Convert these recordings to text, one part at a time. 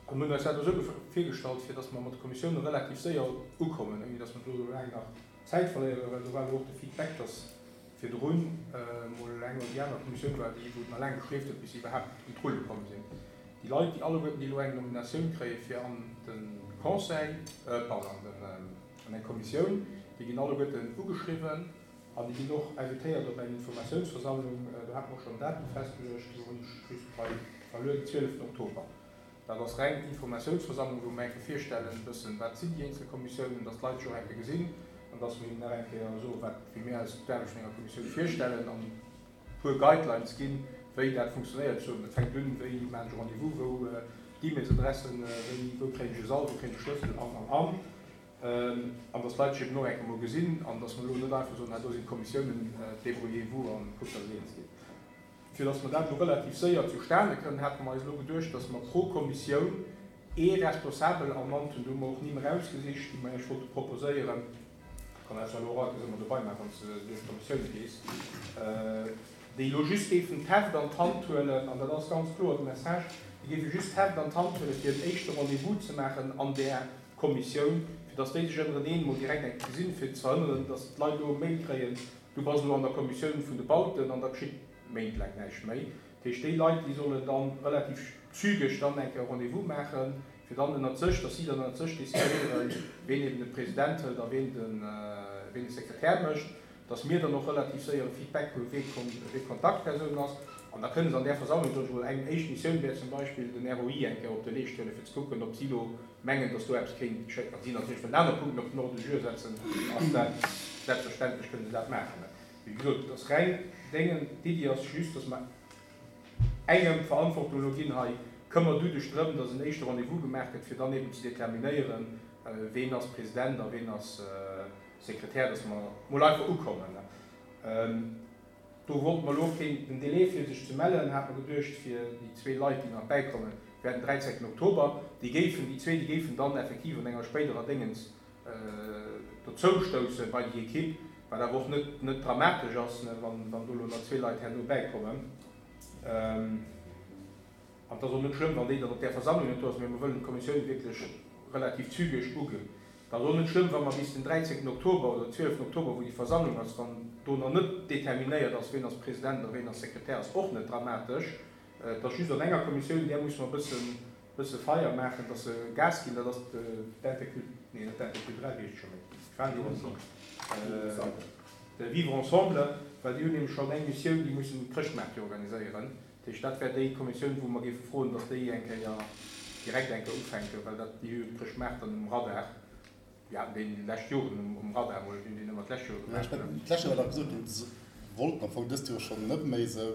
A mir hunn eis dat esou virgestallt, fir dass mer mat de Kommissioune relativ séier ukommen, ouni dass mer do elo laang nach Zäit verléieren, well do war elo och de Feedback, dass virdrun emol eng oder déi aner Kommissioun war, déi wou et nach laang geschleeft huet, bis se iwwerhaapt un d'Rulle komm sinn. Déi Leit, déi alleguerten, déi elo eng Nominatioun kréie fir an de Conseil, pardon, an den, an eng Kommissioun, déi ginn alleguerten ugeschriwwen an déi ginn och invitéiert op eng Informatiounsversammlung. Do hate mer och schonn en Datum festgeluecht, elo hunn ech just hei verluer, den 12 Oktober. Dat ass reng Informatiounsversammlung, wou mer eng Kéier virstellen e bëssen, wat sinn déi eenzel Kommissiounen, dass d'Leit sech och eng Kéier gesinn an dass mer hinnen nach eng Kéier soen, wat, wéi mir eis d'Aarbecht vun enger Kommissioun virstellen an e puer Guidelines ginn, wéi dat funktionéiert. Ech soen, dat fänkt un, wéi maachen ech e Rendez-vous, wou d'E-Mailsadressen, wéi, wou kréien ech e Sall, wou kréien ech e Schlëssel an, an, an. An dass d'Leit sech eben och eng Kéier emol gesinn an dass mer elo net einfach soen, hei do sinn d'Kommissiounen, débrouillez-vous an kuckt, dass et eens gitt. Fir dass mer dat elo relativ séier zustane kënnen, hate mer eis elo geduecht, dass mer pro Kommissioun ee Responsabel ernannt hunn. Do hu mer och Nimm erausgesicht, déi mer Iech wollte proposéieren. Kann eis elo och alt ëmmer dobei maachen, wann s de duerch d'Kommissioune gees. Déi elo just géifen d'Heft an d'Hand huelen, an dat ass ganz kloer de Message, déi géife just d'Heft an d'Hand huelen, fir en éischte Rendez-vous ze maachen an där Kommissioun, fir dass déi sech ënnereneen emol direkt eng Kéier gesinn, fir ze verhënneren, dass d'Leit elo e Mail kréien, Du bass elo an der Kommissioun vun de Bauten an da geschitt méintlaang näischt méi. Dat heescht, déi Leit, déi sollen da relativ zügeg dann eng Kéier e Rendez-vous maachen, fir dann ënnert sech, dass si dann ënnert sech decidéieren, ween eben de President hëlt a ween de, ween de Sekretär mécht, dass mir dann och relativ séier e Feedback hunn, wee wee d'Kontaktpersoun ass. An da kënne se an där Versammlung, soen ech emol, eng éischt Missioun wär zum Beispill, den ROI eng Kéier op de Leescht huelen, fir ze kucken, ob si elo mengen, dass do eppes kéint geschéien. Wa si natierlech wëllen aner Punkten op den Ordre du jour setzen, ass dat selbstverständlech, kënne se dat maachen. Wéi gesot, et ass reng déngen, d'Iddi ass just, dass mer engem d'Verantwortung elo ginn, hei, këmmer du dech drëm, dass en éischte Rendez-vous gemaach gëtt, fir dann eben ze determinéieren, ween ass President a ween ass Sekretär, dass mer mol einfach ukommen. Do wollte mer elo keen, den Délai fir sech ze mellen, hate mer geduecht, fir déi zwee Leit, déi nach bäikommen, wär den 13 Oktober. Déi géifen, déi zwee, déi géifen dann effektiv an enger spéiderer Déngens dozoustousse bei déi Equipe, wat awer och net, net dramatesch ass, wann, wann do elo nach zwee Leit herno bäikommen. An et ass och net schlëmm, wann déi dann op där Versammlung net do ass, mä mer wëllen d'Kommissioun wierklech relativ zügeg uge. Et ass och net schlëmm, wa mer bis den 13 Oktober oder den 12 Oktober, wou déi Versammlung ass, wann do nach net determinéiert ass, ween ass President a ween ass Sekretär, ass och net dramatesch. Et ass just an enger Kommissioun, där musse mer e bëssen, bësse Feier maachen, dass se Gas ginn, dat ass d'Intercult, nee, net d'Interculturell, wéi heescht et scho méi, ech war elo erëm de Vivre ensemble, well déi hunn nämlech schonn eng Missioun, déi mussen Chrëschtmaart jo organiséieren. Dat heescht, dat wär déi Kommissioun, wou mer géife froen, datt déi eng Kéier direkt eng Kéier ufänken, well dat, déi hu jo de Chrëschtmaart dann um Radar. Déi haten deen déi lescht Joren um Radar emol, déi hunn deen ëmmer d'lescht Joer gemaach. D'lescht Joer war dach gesot ginn, se wollten am Fong dëst Joer schonn net méi esou,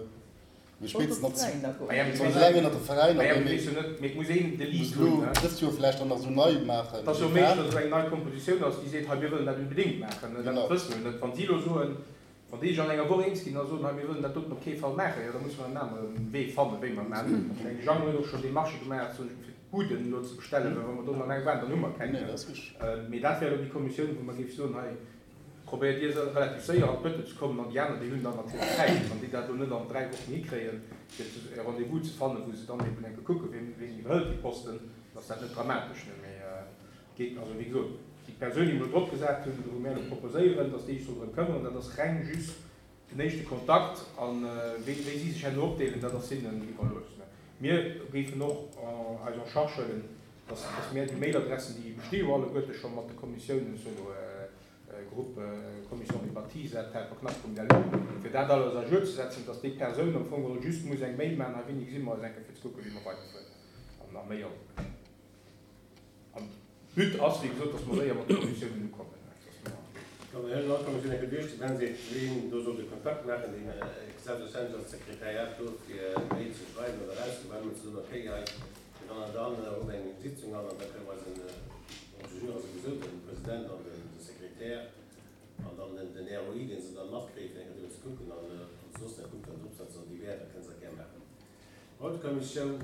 mee spéitstens nach soll se eng ënnert de Veräiner ginn, mee mee et muss een de Lead hunn, ne? Dëst Joer vläicht dann nach esou nei maachen. Et ass jo méiglech, datt esou eng nei Kompositioun ass, déi seet, hei mir wëllen dat unbedéngt maachen. Dat wësse mer jo net. Wa si elo soen, Wann déi sech an enger Woch eens ginn a soen, hei mir wëllen dat doten op kee Fall maachen, jo da musse mer en anere Wee fannen, wéi mer et maachen. Ech mengen, de Jeannot huet och schonn Demarchë gemaach, soen ech, fir d'Buden elo ze bestellen, well wa mer do nach eng waarden, dann hu mer keng méi. Mee dat wär elo déi Kommissioun, wou mer géife soen, hei probéiert Dir relativ séier an d'Bëtte ze kommen an déi aner, déi hunn dann natierlech Zäit. Wann déi dat elo net an 3 Wochen hikréien, fir e Rendez-vous ze fannen, wou se dann eben eng Kéier kucken, wien iwwerhëlt déi Posten, dann ass dat net dramatesch. Mee Geet also, wéi gesot, déi Persoun, déi mer elo drop gesat hunn, wou mär elo proposéieren, dass déi sech soll drëm këmmeren, dat ass reng just den éischte Kontakt. A wéi wéi si sech herno opdeelen, dat ass hinnen iwwerlooss. Mir géifen och eis en charge huelen, dass dass mär déi Mailadressen, déi besti jo alleguerte scho mat de Kommissiounen, sou Groupe Commission des bâtis at helperknapp.lu, fir dat alles à jour ze setzen, dass déi Persoun am Fong geholl just muss eng Mail maachen, hei wéini gesi mer eis eng Kéier fir ze kucken, wéi mer weiderfueren. An a méi ass et net. An But ass, wéi gesot, dass mer séier mat de Kommissiounen ukommen. Dann huelen all Kommissioun eng Kéier duerch, dann seet, ween do soll de Kontakt maachen, deen selbstverständlech ass d'Sekretariat do fir Mail ze schreiwen oder erauszegoen, ze soen, okay, hei fir dann an dann rufft eng Sitzung an an da kënne mer eisen Ordre du jour ass souwisou den President an de Sekretär an dann den ROI, dee se dann matkréien, fir eng Kéier driwwer ze kucken an soss da kuckt dann dropsetzen an déi Wäerter kënne se dat gär maachen. D'Bautekommissioun,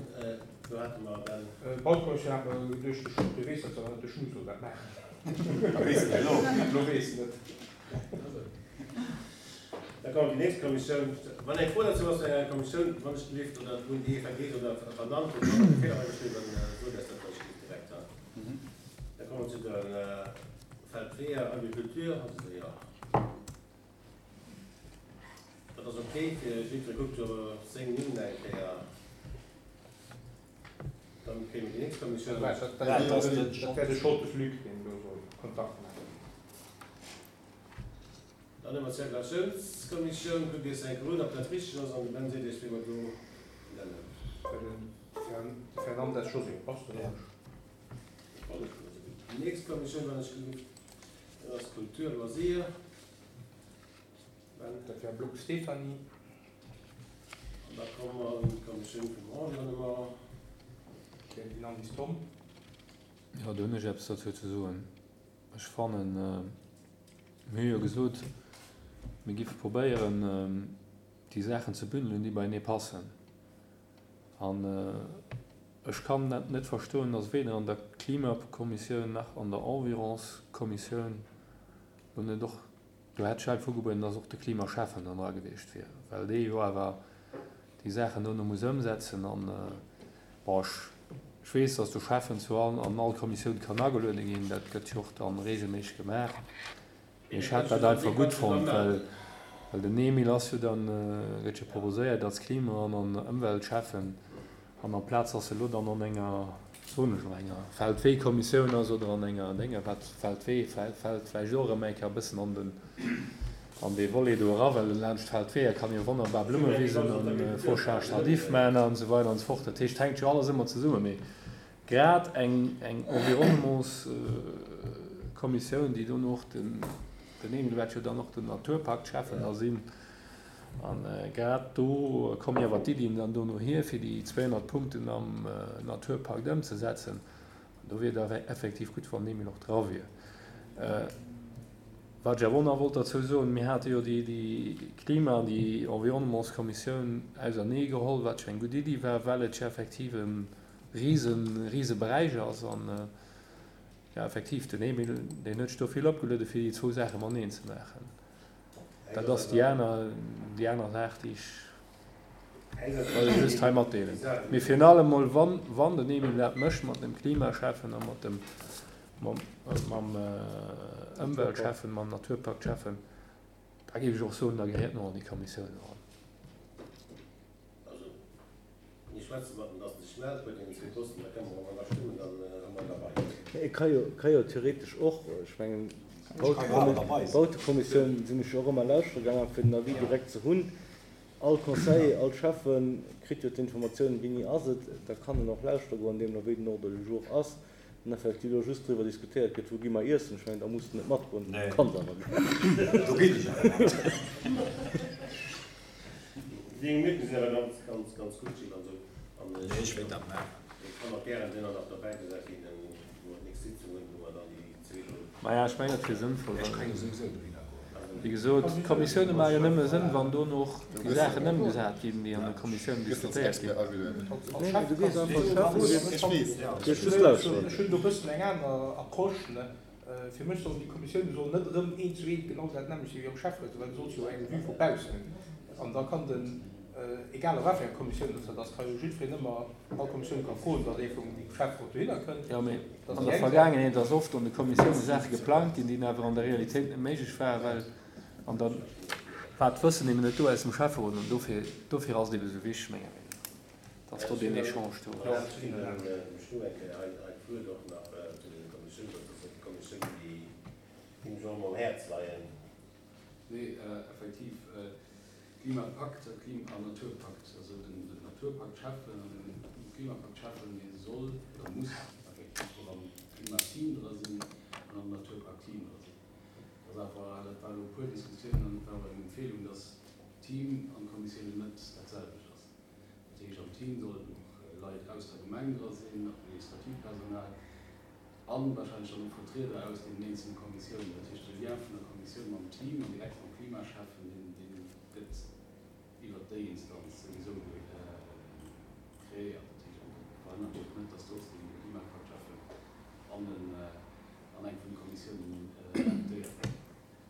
do hate mer dann. D'Bautekommissioun hate mer geduecht, de Schutt, dee weess dat zwar net, de Schmutt soll dat maachen. Da weess en et elo. Elo weess en et. Da kommen déi nächst Kommissioun. Wann eng Fro dozou ass zu enger Kommissioun, wann ech gelift, oder wou déi vergeess oder vernannt hutt, wann e Feeler hei besteet, dann sot eis dat. Weeër, Agriculture, ass et jo. Dat ass ok fir jiddweree kuckt jo seng Nimm eng Kéier. Dann kréie mir déi nächst Kommissioun. Dat wär de Scholtes Luc, deen do soll Kontakt maachen. Dann hu mer d'Zirkulatiounskommissioun. Kuckt Iech eng Kéier un, ob dat richteg ass, an de Ben seet Iech, wéi mer do nennen. De Fernandes José, passt dat och? Déi nächst Kommissioun, wann ech gelift, dat ass Kultur, Loisir. Ben. Dat wär Block Stéphanie. An da komme mer un d'Kommissioun vum Environnement. Dat wär déi Nandis Tom. Jo, do hunn ech eppes dozou ze soen. Ech fannen, mir hu jo gesot, mir giffe probéieren, déi Saachen ze bündelen, déi beienee passen. An ech kann dat net verstoen, dass weder an der Klimakommissioun nach an der Environskommissioun lo net och, do hätt ech einfach ugebueden, dass och de Klimaschäffen dann dra gewiescht wier, well dee jo awer déi Saachen dono muss ëmsetzen. An, bon, ech, ech weess, dass de Schäffen zu all, an all Kommissioun kann ageluede ginn, dat gëtt jo och dann regelméisseg gemaach. Mee ech hätt dat einfach gutt fonnt, well well den Emile ass jo dann, gëtt jo proposéiert als Klima an an Ëmweltschäffen, an amplaz dass e lo dann an enger, soen ech elo, enger Feldweekommissioun ass oder an enger Dénger, wat Feldwee fält vläicht och erëm eng Kéier e bëssen an den an dee Volet do era, well laanscht Feldweeër kann ee jo wonnerbar Blummewisen an Fauchage tardif maachen an esou weider an esou fort. Dat heescht, hänkt jo alles ëmmer zesummen. Mee Grad eng Environnementskommissioun, déi dono och den, den Emile wäert jo dann och den Naturpakt-Schäffen da sinn, a grad do kommen jo awer d'Iddien dann dono hier, fir déi 200 Punkten am Naturpakt ëmzesetzen. An do wier et awer effektiv gutt, wann den Emile och dra wier. Wat ech awer och nach wollt derzou soen, Mir hate jo déi Klima an déi Environnementskommissioun auserneegeholl, wat jo eng gutt Iddi war, well et jo effektiv e Riesen, riese Beräich ass an jo effektiv den Emile deen huet sech do vill opgeluede fir déi zwou Saache mateneen ze maachen. Dat ass déi aner, déi aner Saach déi ech wollt just hei matdeelen. Mee virun allem mol wann, wann den Emile dat mécht mat dem Klimaschäffen a mat dem, mam, mam Ëmweltschäffen, mam Naturpaktschäffen, da géif ech och soen, da gehéiert en och an déi Kommissioun eran. Also, mir schwätze mat en, dass en sech mellt bei deenen zwee Posten, da kënne mer och ënnerstëmmen, dann hu mer en derbei. Mä e ka jo, ka jo theoretesch och, ech mengen, d'Bautekommissioun sinn ech jo och ëmmer lauschtere gaangen, fir den Avis direkt ze hunn. All Conseiller, all Schäffe kritt jo d'Informatioun, wéini ass et, da kann en och lauschtere goen, deemno wéi den Ordre du jour ass. An effektiv elo just driwwer diskutéiert gëtt, wou gi mer iessen, ech mengen, da muss de net matgoen, du kanns awer ginn. Do ginn ech awer mat. Déi eng Minutten sinn awer ganz, ganz, ganz gutt, Gilles, also, an ech. Nee, ech wéilt dat maachen. Et kann och gären duerno nach dobäi gesat ginn, wou mer d'nächst Sitzung hunn, wou mer dann déi zwee do. Maja, ech mengen, dat wier sënnvoll, Ech well. kréien souwisou dohinner goen. Wéi gesot, d'Kommissioune maache jo nëmme Sënn, wann dono och déi Saachen ëmgesat ginn, déi an de Kommissiounen diskutéiert ginn. Ech hunn do e bëssen eng aner Approche. Fir mech sollen déi Kommissioune sollen net erëm eent zu eent genau dat nämmlecht sinn wéi am Schäfferot, well du solls jo eng Vue vu baussen hunn. An da kann den, egal a wat fir enger Kommissioun datt dat ass, ka jo jiddwereen ëmmer, all Kommissioun ka froen, datt ee vum Schäfferot dohinner kënnt. Jo, mee an der Vergaangenheet ass oft an de Kommissioune Saache geplangt ginn, déi awer an der Realitéit net méiglech waren, well an der war d'Wëssen eben net do aus dem Schäfferot. An dofir, dofir ass et eben esou wichteg, menger Meenung no, datt do deen Echange do ass. Nee, effektiv, Klimapakt an Naturpakt, also den Naturpakt schafen an den Klimapakt schafen, dee soll oder muss effektiv och am Klimateam dra sinn an am Naturpaktteam dra sinn. Dat ass awer, dat war elo e puer Diskussiounen an et war och eng Empfehlung, dass Team an Kommissiounen net dat selwecht ass. Dat heescht, am Team sollen och Leit aus der Gemeng dra sinn, administratiivt Personal an wahrscheinlech dann och Vertrieder aus deenen eenzelne Kommissiounen. Dat heescht, de Lien vun der Kommissioun mam Team an direkt mam Klimaschäffen, deen, dee gëtt iwwert déi Instanz souwisou kreéiert. Dat heescht, an dat verhënnert jo och net, dass trotzdem de Klimapakt-Schäffen an den, an eng vun de Kommissiounen invitéiert gëtt.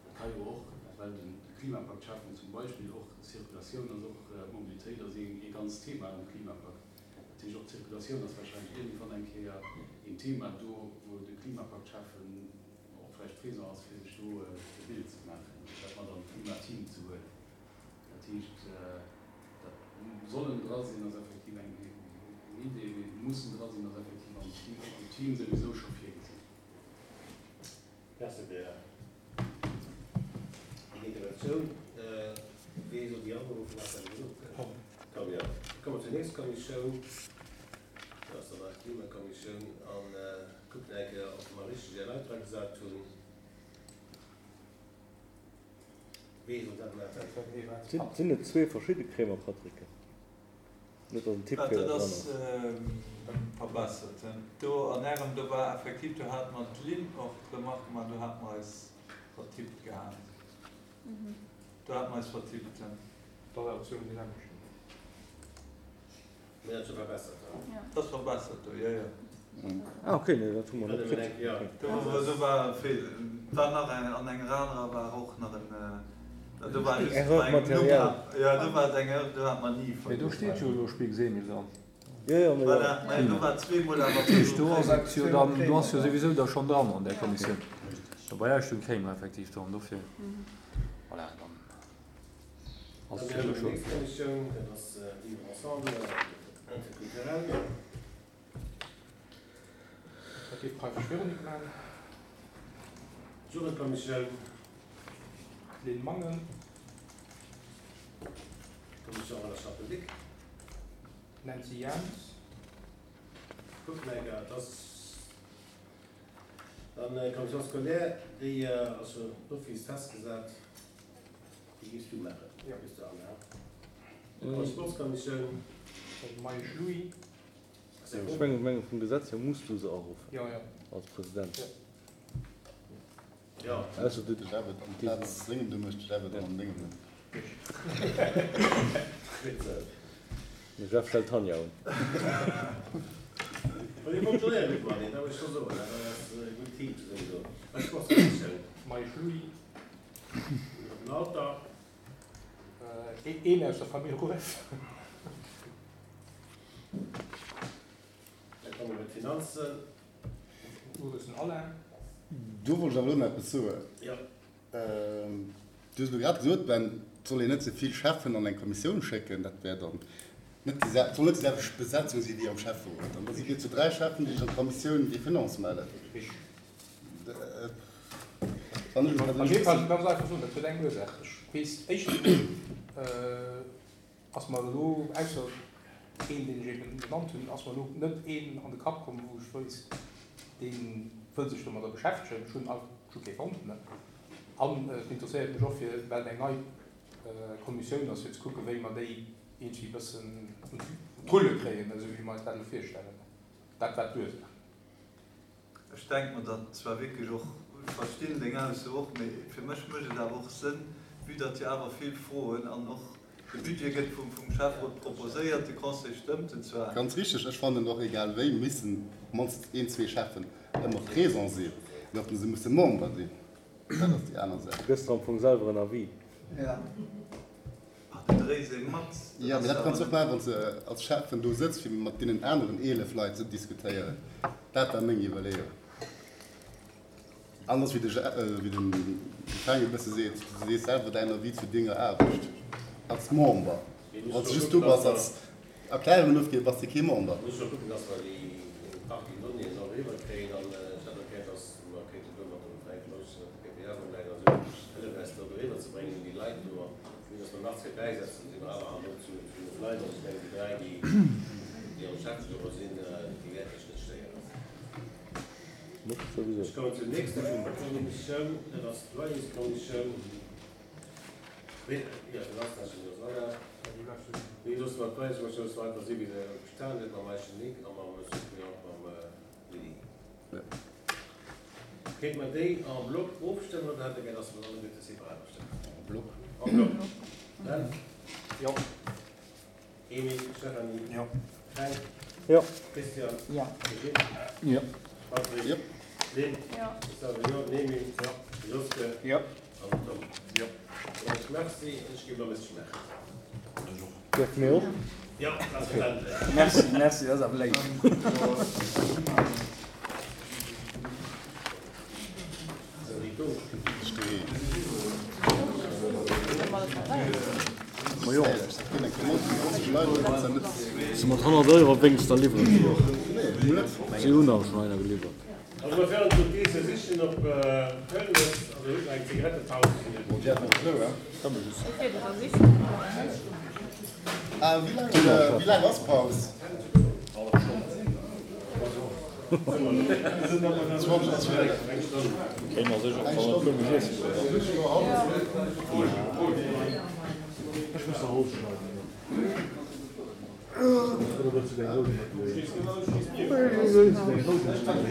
Dat ka jo och, well de Klimapakt-Schäffen zum Beispill och Circulatioun ass, och Mobilitéit ass ee ganzt Thema am Klimapakt. Dat heescht, och d'Zirkulatioun ass wahrscheinlech iergendwann eng Kéier een Thema do, wou de Klimapakt-Schäffen och. vläicht présent ass, fir sech do e Bild ze maachen, dat mat an d'Klimateam ze huelen. Dat heescht, dat sollen dra sinn ass effektiv eng Idee, mee mussen dra sinn ass effektiv am Team souwisou scho virgesinn. Merci fir déi Interventioun. Wee soll déi aberuffen? Hat dat gesot gëtt? Tom, jo. Da komme mer zur nächster Kommissioun. Dat ass dann eis Klimakommissioun. A kucken eng Kéier, ob mer richteg är Leit dra gesat hunn. Wee soll dat maachen? Sinn et zwee verschidde Cremer Patricken? Net dass en Tippfeeler Dat dran ass ass. verbessert. Do an ärem, do war effektiv, do hat mer d'Lynn och d'Remarque gemaach, do hate mer eis vertippt gehat. Do hate mer eis vertippt. Dat ass awer zwou déi selwecht. Mir dat scho verbessert han. Dat ass verbessert do, jo, jo. Ah ok, nee dat hu mer net kritt. Do war e Feeler. War nach eng, an enger anerer war och nach en, do war just Erreur bei engem Numm, matérielle. jo do war et eng Erreur, do hat mer ni Mee do vergiess. steet jo elo Spix Emil dran. Jo jo, mee Voilà, mä do war zweemol awer Dat heescht do ass et jo dann, do ass jo souwisou da schonn dran an där Kommissioun. Bei eis stoung Kremer effektiv dran, dofir, voilà, dann. Dann hu mer déi nächst Kommissioun, dat ass Vivre ensemble interculturel. Dat géif d'Preifisch Véronique maachen. D'Jugendkommissioun. D'Lynn Mangen. D'Commission Relations publiques. D'Nancy Jans. Kuckt nach eng Kéier, et ass dann d'Commission scolaire, déi ass jo d'office festgesat. Déi giffs du maachen, bis du Anna. D'Sportskommissioun. Meisch Louis. Ech mengen, vum Gesetz hier muss du se aruffen als President. Jo. Ausser du. De Jeff et amplaz sengem, du méchs de Jeff et an dengem Numm. De Jeff stellt d'Tanja un. Well dir fonctionnéiert gutt mateneen, dat muss ech scho soen. Dat ass e gutt Team zesummen do. Sportskommissioun. Meisch Louis. Den Alter. Een aus der Famill Rueff. Da komme mer bei d'Finanzen. Uressen Alain. Do wollt ech awer elo nach eppes soen. Jo. Du hues elo grad gesot, Ben, et soll een net ze vill Cheffen an eng Kommissioun schécken. Dat wär dann net déi, et soll net déi selwecht Besetzung si wéi am Schäfferot. An da si mir zu 3 Cheffen, déi sech an d'Kommissioun des Finances mellen. Richtig. Wann ech Op jidde Fall, ech muss einfach soen, dat huet eng Ursaach. Ech weess, éischtens emol ass mer elo, ausser een, deen ech eben genannt hunn, ass mer elo net een an de Kapp komm, wou ech wéisst, dee wëll sech domadder beschäftegen. Ech hunn ech hu kee fonnt. An et interesséiert mech och, fir, well et eng nei Kommissioun ass, fir ze kucken, wéi mer déi iergendwéi e bëssen un d'Rulle kréien, esou wéi mer eis dat elo virstellen. Dat war d'Ursaach. Ech denke mer datt zwar wierklech och, ech verstinn deng Ausso och, mee fir mech mécht et awer och Sënn, vue datt jo awer vill Froen an och de Budget gëtt vum Schäfferot proposéiert, de Conseil stëmmt en zwar. Ganz richteg, ech fannen och, egal wéi missen op mannst een, zwee Schäffen ëmmer présent sinn, mee ob se musse Member sinn, dat ass déi aner Saach. Du gëss der am Fong selwer en Avis. Ah, du dréis ee mat. Jo, mee dat kanns du och maachen, wann s de als Schäffen do sëtz, fir mat deenen aneren 11 Leit ze diskutéieren. Dat war meng Iwwerleeung. Anders wéi de wéi den Fränk e bësse seet, du sees selwer däin Avis zu denger Aarbecht als Member. Wann s de just do bass als Erklärungen ofginn, bass de kee Member. Mir musse kucken, dass mer déi Partie Donnéeën och eriwwer kréien. An ech hätt och gär, dass mer kéinten do mat dem Fränk Mausch, mat de PPA vum Läit an esou hëllefen eis do eriwwer ze bréngen un déi Leit do. Vue dass mer nach zwee bäisetzen, si mer awer herno zu genuch Leit. An ech mengen, déi dräi, déi déi am Schäfferot sinn, déi wäerte sech net stéieren. Ech kommen zur nächster Kommissioun, dat ass d'Loyerskommissioun. Wéi loosse mer d'Weismotioun esou einfach si wéi se bestan huet, mam Eischen Nic a mam Suppléant mam Willy? Kéinte mer déi en bloc ofstëmmen oder hätt Der gär, dass mer alleguerte separat ofstëmmen? En bloc. En bloc. Ben? Jo. Emil, Stéphanie? Jo. Fränk? Jo. Christian? Jo. Brigitte? Jo. Patrick? Jo. Lynn? Jo. Gustave? Jo. Nemy? Jo. Joske? Jo. An den Tom? Jo. Dann soen ech Merci an ech ginn elo e bëssche Schmaach. Dierfe mir och? Jo, selbstverständlech. Merci, merci, dat ass awer léif. Sou. Se mat 100 Euro wéinst der liwweren se och. Si hunn awer schonn einer geliwwert. Also mer féieren zu Keese sichen op Köln ass, also huet nach eng Zigarettepaus. Wéi laang ass Paus? Ech muss nach Holz schneiden. Oder wëlls du deng Rout net méi? Wëlls du deng Rout net méi?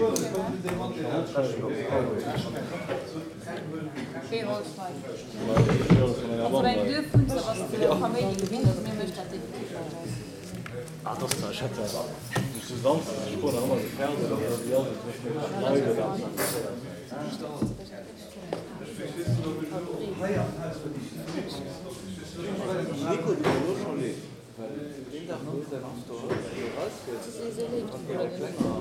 Ah, das war, ich hätte du Samstag, ich war noch immer so fertig, aber die ass et nicht méi leider. Nico, du elo scho leed, well deen Dag wou säin Auto erausgëtt, an déi all klenger